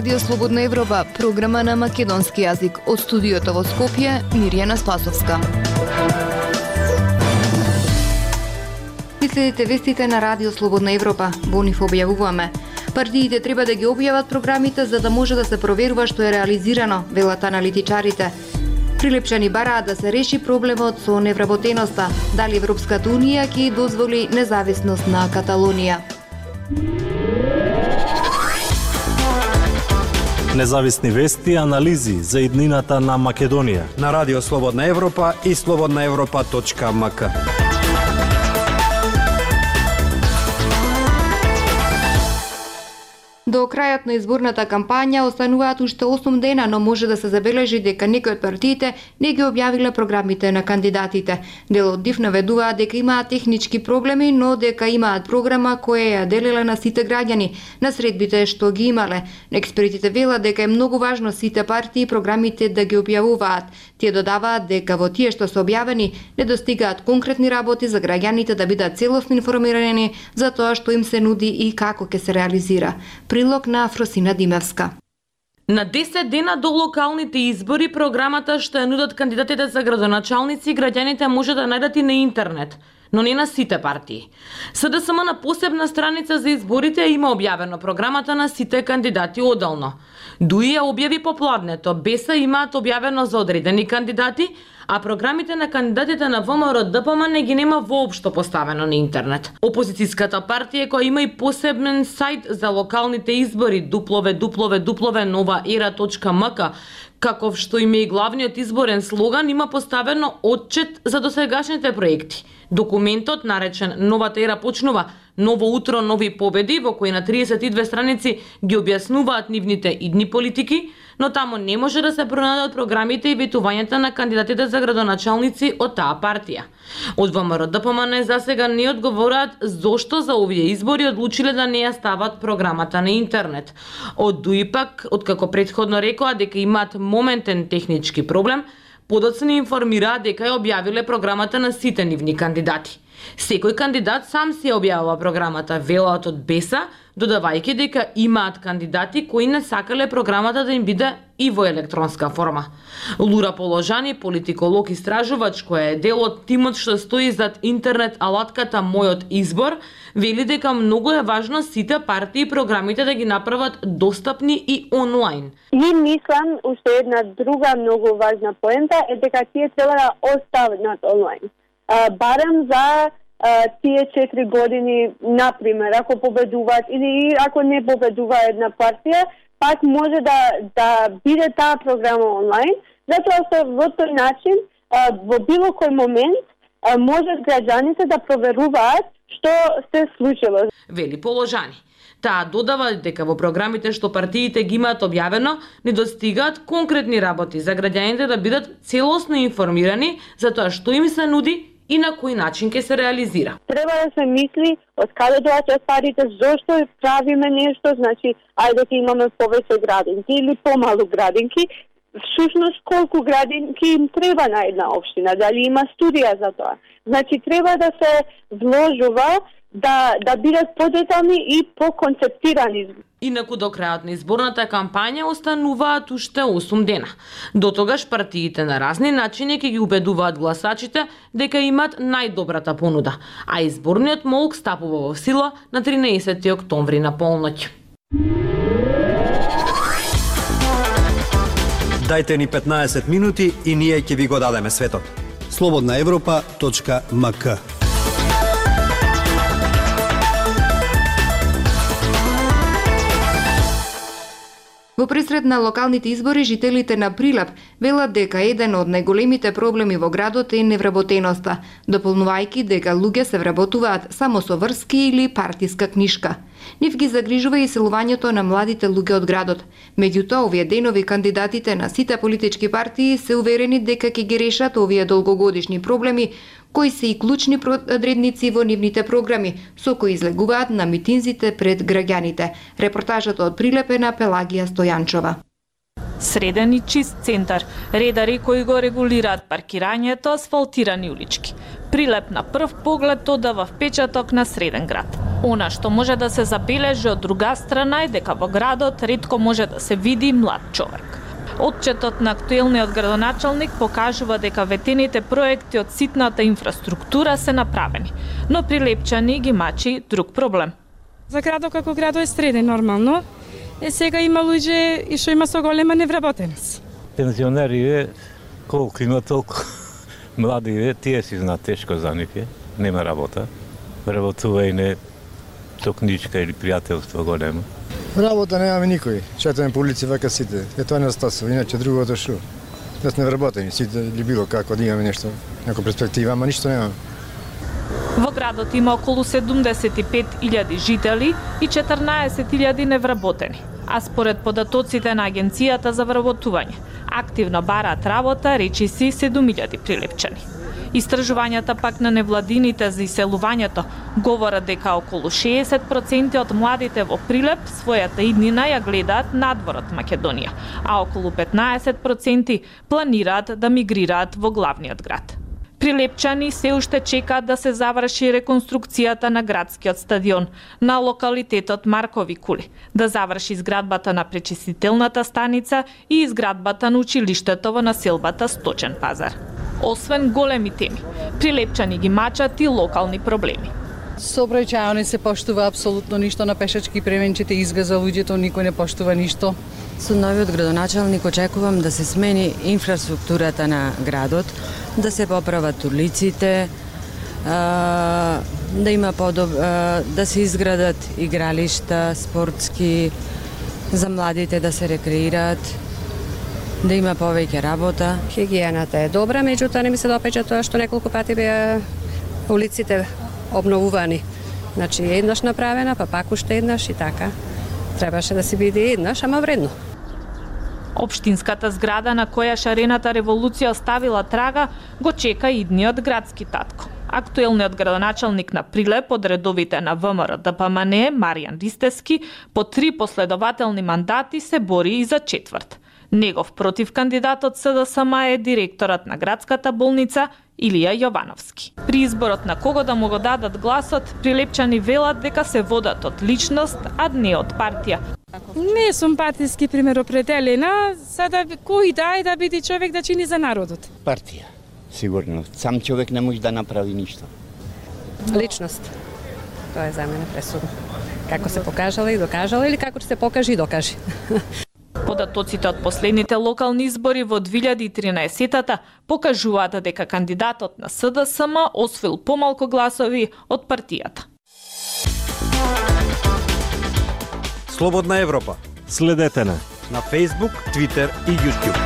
Радио Слободна Европа, програма на македонски јазик. Од студиото во Скопје, Мирјана Спасовска. Ви следите вестите на Радио Слободна Европа. Во нив објавуваме. Партиите треба да ги објават програмите за да може да се проверува што е реализирано, велат аналитичарите. Прилепчани бараат да се реши проблемот со невработеноста. Дали Европската Унија ќе дозволи независност на Каталонија? Независни вести и анализи за иднината на Македонија на Радио Слободна Европа и slobodnaevropa.mk. До крајот на изборната кампања остануваат уште 8 дена, но може да се забележи дека некои од партиите не ги објавиле програмите на кандидатите. Дел од нив наведуваат дека имаат технички проблеми, но дека имаат програма која ја делела на сите граѓани на средбите што ги имале. Експертите велат дека е многу важно сите партии програмите да ги објавуваат. Тие додаваат дека во тие што се објавени не достигаат конкретни работи за граѓаните да бидат целосно информирани за тоа што им се нуди и како ќе се реализира. Прилог на Фросина Димевска. На 10 дена до локалните избори програмата што ја нудат кандидатите за градоначалници граѓаните може да најдат и на интернет, но не на сите партии. СДСМ на посебна страница за изборите има објавено програмата на сите кандидати одделно. ДУИ ја објави попладнето, БЕСА имаат објавено за одредени кандидати, а програмите на кандидатите на ВМРО ДПМ не ги нема воопшто поставено на интернет. Опозицијската партија која има и посебен сајт за локалните избори www.novaera.mk, каков што има и главниот изборен слоган, има поставено отчет за досегашните проекти. Документот, наречен Новата ера почнува, ново утро, нови победи, во кој на 32 страници ги објаснуваат нивните идни политики, но тамо не може да се пронајдат програмите и ветувањата на кандидатите за градоначалници од таа партија. Од ВМРО ДПМН за сега не одговораат зошто за овие избори одлучиле да не ја стават програмата на интернет. Од ДУИ пак, откако претходно рекоа дека имаат моментен технички проблем, подоцна информираа дека ја објавиле програмата на сите нивни кандидати. Секој кандидат сам си ја објавува програмата, велат од БЕСА, додавајќи дека имаат кандидати кои не сакале програмата да им биде и во електронска форма. Лура Положани, политиколог истражувач која е дел од тимот што стои зад интернет алатката Мојот избор, вели дека многу е важно сите партии и програмите да ги направат достапни и онлайн. И мислам, уште една друга многу важна поента е дека тие треба да останат онлайн. Барем за тие 4 години, например, ако победуваат или ако не победува една партија, пак може да биде таа програма онлайн, затоа што во тој начин, во било кој момент, можат граѓаните да проверуваат што се случило. Вели Положани. Таа додава дека во програмите што партиите ги имаат објавено, не достигаат конкретни работи за граѓаните да бидат целосно информирани за тоа што им се нуди и на кој начин ќе се реализира. Треба да се мисли од каде доаѓаат парите, зошто правиме нешто, значи ајде ќе имаме повеќе градинки или помалу градинки, всушност колку градинки им треба на една општина, дали има студија за тоа. Значи треба да се вложува да бидат подетални и поконцептирани. Инаку до крајот на изборната кампања остануваат уште 8 дена. До тогаш партиите на разни начини ќе ги убедуваат гласачите дека имаат најдобрата понуда, а изборниот молк стапува во сила на 13 октомври на полноќ. Дајте ни 15 минути и ние ќе ви го дадеме светот. slobodnaevropa.mk. Во пресред на локалните избори, жителите на Прилеп велат дека еден од најголемите проблеми во градот е невработеноста, дополнувајќи дека луѓе се вработуваат само со врски или партиска книшка. Нив ги загрижува и селувањето на младите луѓе од градот. Меѓутоа, овие денови кандидатите на сите политички партии се уверени дека ќе ги решат овие долгогодишни проблеми, кои се и клучни одредници во нивните програми, со кои излегуваат на митинзите пред граѓаните. Репортажата од Прилеп е на Пелагија Стојанчова. Среден и чист центар, редари кои го регулираат паркирањето, асфалтирани улички. Прилеп на прв поглед одава впечаток на среден град. Она што може да се забележи од друга страна е дека во градот ретко може да се види млад човек. Отчетот на актуелниот градоначалник покажува дека ветените проекти од ситната инфраструктура се направени, но прилепчани ги мачи друг проблем. За градот како градо е среден нормално, сега има луѓе и што има со голема невработеност. Пензионери колку има толку млади, тие си знаат тешко за нив нема работа. Работување со книжка или пријателство големо. Работа немаме никој. Четаме по улици вака сите. Тоа не остасува, иначе другото шо. Да сме вработени, сите или било како да имаме нешто, некоја перспектива, ама ништо немаме. Во градот има околу 75.000 жители и 14.000 невработени. А според податоците на Агенцијата за вработување, активно бараат работа речиси 7.000 прилепчани. Истражувањата пак на невладините за иселувањето говорат дека околу 60% од младите во Прилеп својата иднина ја гледаат надвор од Македонија, а околу 15% планираат да мигрираат во главниот град. Прилепчани се уште чекаат да се заврши реконструкцијата на градскиот стадион на локалитетот Маркови кули, да заврши изградбата на пречистителната станица и изградбата на училиштето во населбата Сточен пазар. Освен големи теми, прилепчани ги мачат и локални проблеми. Сообраќајно не се поштува апсолутно ништо на пешачки пременчите, изгаза луѓето, никој не поштува ништо. Со новиот градоначалник очекувам да се смени инфраструктурата на градот, да се поправат улиците, да има да се изградат игралишта спортски за младите да се рекреираат, да има повеќе работа. Хигиената е добра, меѓутоа не ми се допаѓа тоа што неколку пати беа улиците обновувани. Значи еднаш направена, па пак уште еднаш и така. Требаше да се биде еднаш, ама вредно. Општинската зграда на која шарената револуција оставила трага го чека идниот градски татко. Актуелниот градоначалник на Прилеп од редовите на ВМРО ДПМН Маријан Ристевски по 3 последователни мандати се бори и за четврт. Негов против кандидат од СДСМ е директорот на градската болница Илија Јовановски. При изборот на кого да му го дадат гласот, прилепчани велат дека се водат од личност, а не од партија. Не сум партиски пример определена, за да кој да е да биде човек да чини за народот. Партија, сигурно. Сам човек не може да направи ништо. Личност. Тоа е за мене пресудно. Како се покажала и докажала или како ќе се покаже и докаже. Податоците од последните локални избори во 2013-та покажуваат дека кандидатот на СДСМ освоил помалку гласови од партијата. Слободна Европа. Следете на Facebook, Twitter и YouTube.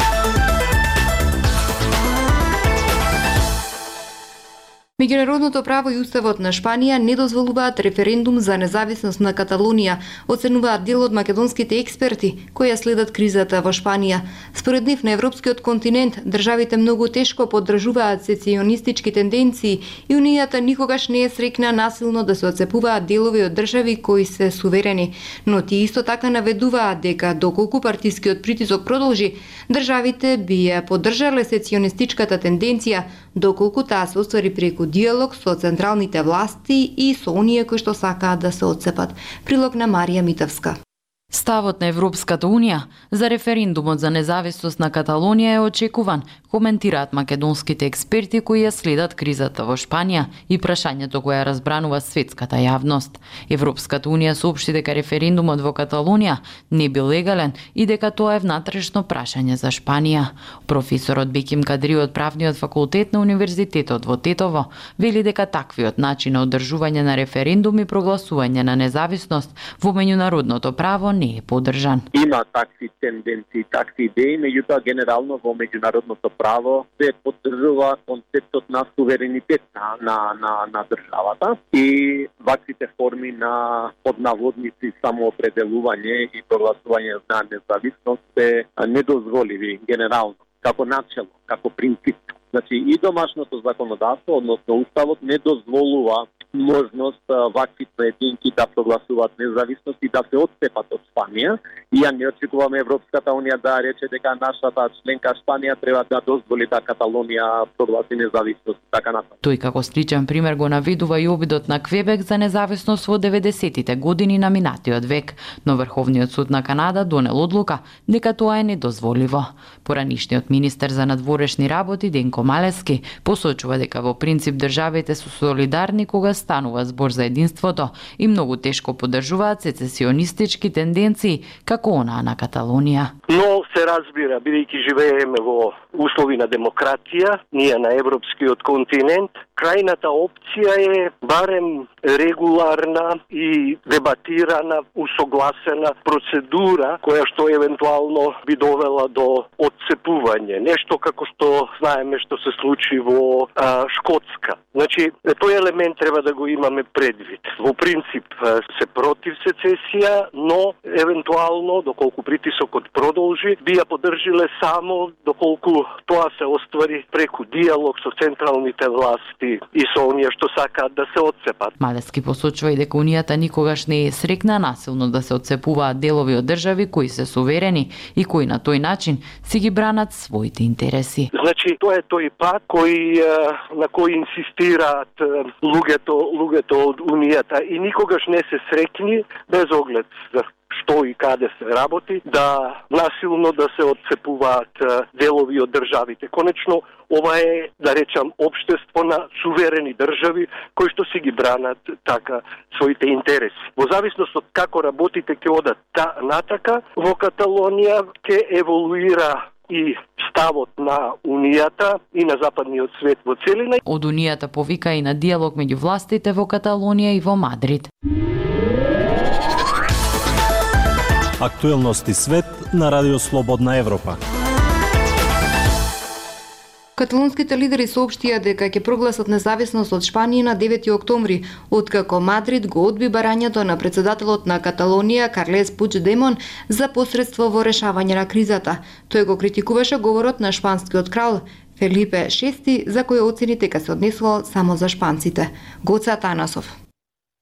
Меѓународното право и уставот на Шпанија не дозволуваат референдум за независност на Каталонија, оценуваат дел од македонските експерти кои ја следат кризата во Шпанија. Според нив на европскиот континент државите многу тешко поддржуваат сецесионистички тенденции и унијата никогаш не е срекна насилно да се отцепуваат делови од држави кои се суверени, но тие исто така наведуваат дека доколку партискиот притисок продолжи, државите би ја поддржале сецесионистичката тенденција доколку таа се оствари преку диалог со централните власти и со оние кои што сакаат да се отцепат. Прилог на Марија Митовска. Ставот на Европската Унија за референдумот за независност на Каталонија е очекуван, коментираат македонските експерти кои ја следат кризата во Шпанија и прашањето кое разбранува светската јавност. Европската Унија соопшти дека референдумот во Каталонија не бил легален и дека тоа е внатрешно прашање за Шпанија. Професорот Беким Кадри од правниот факултет на Универзитетот во Тетово вели дека таквиот начин на одржување на референдум и прогласување на независност во меѓународното право не е поддржан. Има такви тенденции, такви идеи, меѓутоа генерално во меѓународното право се поддржува концептот на суверенитет на државата и ваквите форми на поднаводници самоопределување и прогласување на независност се недозволиви генерално, како начело, како принцип. Значи и домашното законодавство, односно уставот, не дозволува можност вакви поединки да прогласуваат независност и да се отцепат од Шпанија. И ја не очекуваме Европската унија да рече дека нашата членка Шпанија треба да дозволи да Каталонија прогласи независност и така натаму. Тој како сличен пример го наведува и обидот на Квебек за независност во 90-тите години на минатиот век, но Врховниот суд на Канада донел одлука дека тоа е недозволиво. Поранишниот министер за надворешни работи Денко Малески посочува дека во принцип државите се солидарни кога станува збор за единството и многу тешко поддржуваат сецесионистички тенденции како онаа на Каталонија. Но се разбира, бидејќи живееме во услови на демократија, ние на европскиот континент, крајната опција е барем регуларна и дебатирана, усогласена процедура која што евентуално би довела до отцепување. Нешто како што знаеме што се случи во Шкотска. Значи, тој елемент треба да го имаме предвид. Во принцип се против сецесија, но евентуално, доколку притисокот продолжи, би ја поддржиле само доколку тоа се оствари преку диалог со централните власти и со оние што сакаат да се отцепат. Малески посочува и дека Унијата никогаш не е срекна насилно да се отцепуваат делови од држави кои се суверени и кои на тој начин си ги бранат своите интереси. Значи, тоа е тој пат на кој инсистираат луѓето од Унијата и никогаш не се срекни без оглед за што и каде се работи, да насилно да се отцепуваат делови од државите. Конечно, ова е, да речам, општество на суверени држави кои што си ги бранат така своите интереси. Во зависност од како работите ќе одат натака, во Каталонија ќе еволуира и ставот на Унијата и на западниот свет во целина. Од Унијата повика и на диалог меѓу властите во Каталонија и во Мадрид. Актуелности свет на Радио Слободна Европа. Каталонските лидери соопштија дека ќе прогласат независност од Шпанија на 9 октомври, откако Мадрид го одби барањето на председателот на Каталонија Карлес Пучдемон за посредство во решавање на кризата. Тој го критикуваше говорот на шпанскиот крал Фелипе VI, за кој оцени дека се однесувал само за шпанците. Гоце Атанасов.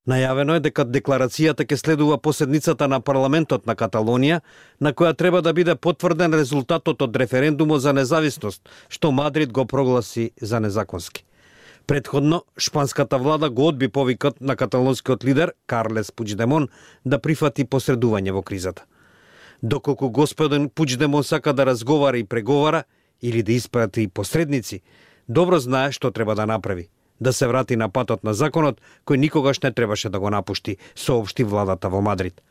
Најавено е дека декларацијата ќе следува поседницата на парламентот на Каталонија, на која треба да биде потврден резултатот од референдумот за независност, што Мадрид го прогласи за незаконски. Претходно, шпанската влада го одби повикот на каталонскиот лидер Карлес Пучдемон да прифати посредување во кризата. Доколку господин Пучдемон сака да разговара и преговара или да испрати посредници, добро знае што треба да направи. Да се врати на патот на законот, кој никогаш не требаше да го напушти, соопшти владата во Мадрид.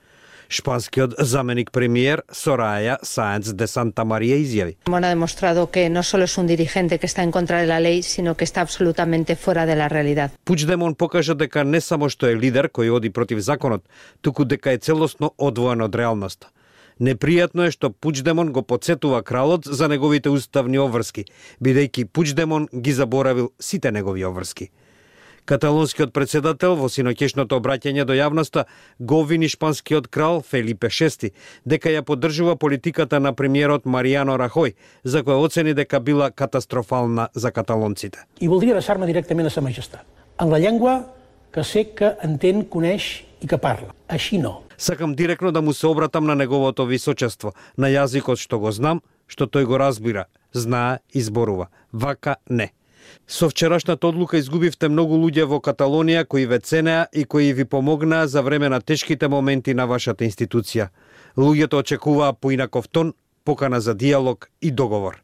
Шпанскиот заменик премиер Soraya Sáenz de Santa María изјави: Ha demostrado que no solo es un dirigente que está en contra de la ley, sino que está absolutamente fuera de la realidad. Пучдемон покажа дека не само што е лидер кој оди против законот, туку дека е целосно одвоен од реалноста. Непријатно е што Пучдемон го потсетува кралот за неговите уставни обврски, бидејќи Пучдемон ги заборавил сите негови обврски. Каталонскиот председател во синоќешното обраќање до јавноста го обвини шпанскиот крал Фелипе VI дека ја поддржува политиката на премиерот Мариано Рахој, за која оцени дека била катастрофална за каталонците. I voldria adreçar-me directament a Sa Majestat, en la llengua que sé que entén, coneix и que parla. Així no. Сакам директно да му се обратам на неговото височество, на јазикот што го знам, што тој го разбира, знае и зборува. Вака не. Со вчерашната одлука изгубивте многу луѓе во Каталонија кои ве ценеа и кои ви помогнаа за време на тешките моменти на вашата институција. Луѓето очекуваа поинаков тон, покана за диалог и договор.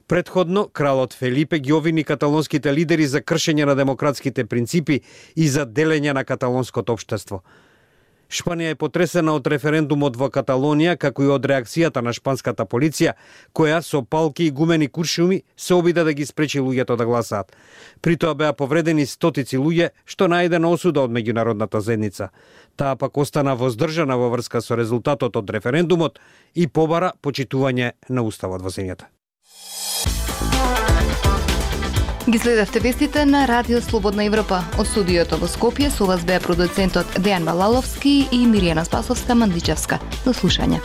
Претходно, кралот Фелипе ги обвини каталонските лидери за кршење на демократските принципи и за делење на каталонското општество. Шпанија е потресена од референдумот во Каталонија, како и од реакцијата на шпанската полиција, која со палки и гумени куршуми се обида да ги спречи луѓето да гласаат. При тоа беа повредени стотици луѓе, што најдена осуда од меѓународната заедница. Таа пак остана воздржана во врска со резултатот од референдумот и побара почитување на уставот во земјата. Ги следевте вестите на Радио Слободна Европа. Од студиото во Скопје со вас беа продуцентот Дејан Балаловски и Миријана Спасовска-Мандичевска. До слушање.